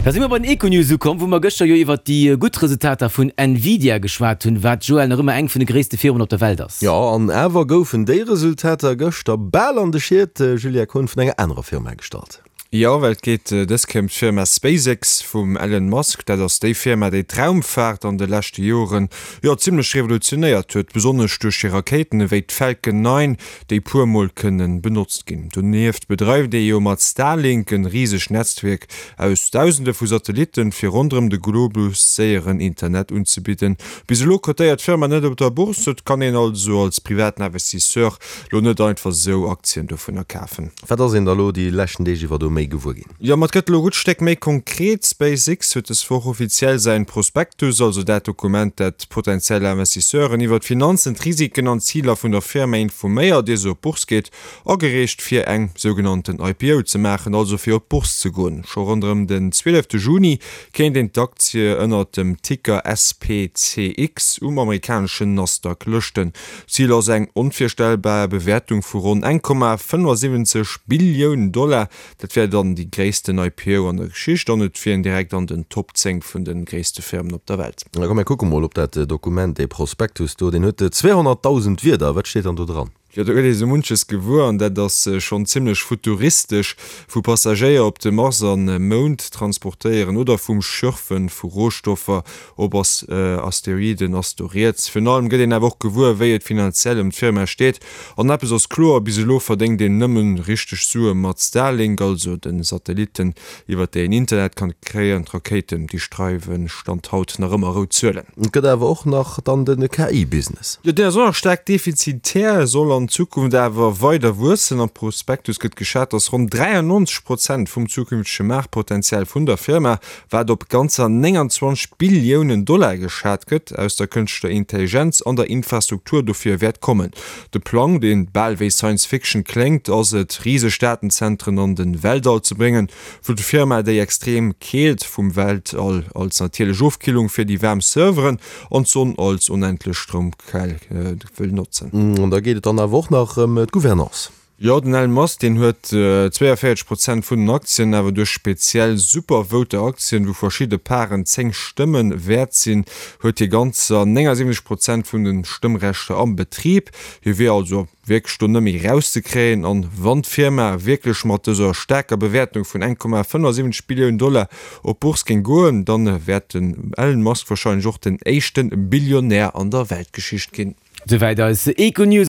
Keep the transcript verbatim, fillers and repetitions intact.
Da si mer bei den Econews ukomm, wou mer gëschter jo iwwert déi gutt Resultater vun Nvidia geschwat hunn, wat, Joël, nach ëmmer eng vun de gréisste Firmen op der Welt ass. Jo, an awer goufen déi Resultater gëschter bal an de Schiet, Julia Kohn, vun enger anerer Firma gestallt. Jo, well et geet dës Kéier ëm d'Firma SpaceX vum Elon Musk. Dat ass déi Firma, déi d'Raumfaart an de leschte Joren, jo, zimmlech revolutionéiert huet, besonnesch duerch hir Rakéiten ewéi d'Falcon nine, déi puer Mol kënne benotzt ginn. Donieft bedreift ee jo mat Starlink en risegt Netzwierk aus Dausende vu Satellitten, fir ronderëm de Globus séieren Internet unzebidden. Bis elo cotéiert d'Firma net op der Bourse, et kann een also als privaten Investisseur lo net einfach sou Aktien dovunner kafen. Wat ass een da lo déi leschten Deeg iwwer do méi gewuer ginn? Jo, ma et gëtt elo e gutt Stéck méi konkret. SpaceX huet des Woch offiziell säin Prospektus, also dat Dokument, dat potentiell Investisseuren iwwer d'Finanzen, d'Risiken an d'Ziler vun der Firma informéiert, ier se op d'Bourse geet, agereecht, fir eng sougenannten I P O ze maachen, also fir op d'Bourse ze goen. Scho ronderëm den zwielefte Juni kéint een d'Aktie ënnert dem Ticker S P C X um amerikaneschen Nasdaq lëschten. Zil ass eng onvirstellbar Bewäertung vu ronn eng Komma fënnefasiwwenzeg Billioun Dollar. Dat wär dann déi gréissten I P O an der Geschicht an et wier een direkt an den Top zéng vun de gréisste Firmen op der Welt. Da komm mir kucke mol op dat Dokument, dee Prospektus do, deen huet zweehonnertdausend Wierder. Wat steet dann do dran? Jo, do gëtt ee sou munches gewuer an dat ass schonn zimmlech futuristesch, vu Passagéier op de Mars an Mound transportéieren oder vum Schürfe vu Rohstoffer op Asteroiden ass do rieds. Virun allem gëtt een awer och gewuer, wéi et finanziell ëm d'Firma steet. An eppes ass kloer, bis elo verdéngt een nëmmen richteg Sue mat Starlink, also de Satellitten, iwwer déi een Internet kann kréien. D'Rakéiten, déi schreiwe Stand haut nach ëmmer rout Zuelen. Et gëtt awer och nach dann de K I-Business. Jo, deen ass och nach staark defizitär, soll an Zukunft awer weider wuessen. Am Prospektus gëtt geschat, dass ronn dräiannonzeg Prozent vum zukünftege Maartpotenzial vun der Firma, wat op ganzer nénganzwanzeg Billiounen Dollar geschat gëtt, aus der kënschtlecher Intelligenz an der Infrastruktur dofir wäert kommen. De Plang, dee bal wéi Science Fiction kléngt, ass et, riseg Datenzentren an de Weltall ze bréngen, wou d'Firma déi extrem Keelt vum Weltall als natierlech Ofkillung fir déi waarm Serveren an d'Sonn als onendlech Stroumquell wëll notzen. An da geet et dann awer och nach ëm d'Gouvernance. Jo, den Elon Musk, deen huet zweeënvéierzeg Prozent vun den Aktien, awer duerch speziell Super-Voter-Aktien, wou verschidde Paren zéng Stëmme wäert sinn, huet hie ganzer néngasiwwenzeg Prozent vun de Stëmmrechter am Betrib. Hie wier also wierklech do net méi erauszekréien. An wann d'Firma wierklech mat dëser staarker Bewäertung vun eng Komma fënnefasiwwenzeg Billioun Dollar op d'Bourse géing goen, dann wäert den Elon Musk warscheinlech och den éischte Billionär an der Weltgeschicht ginn. Souwäit eis Econews.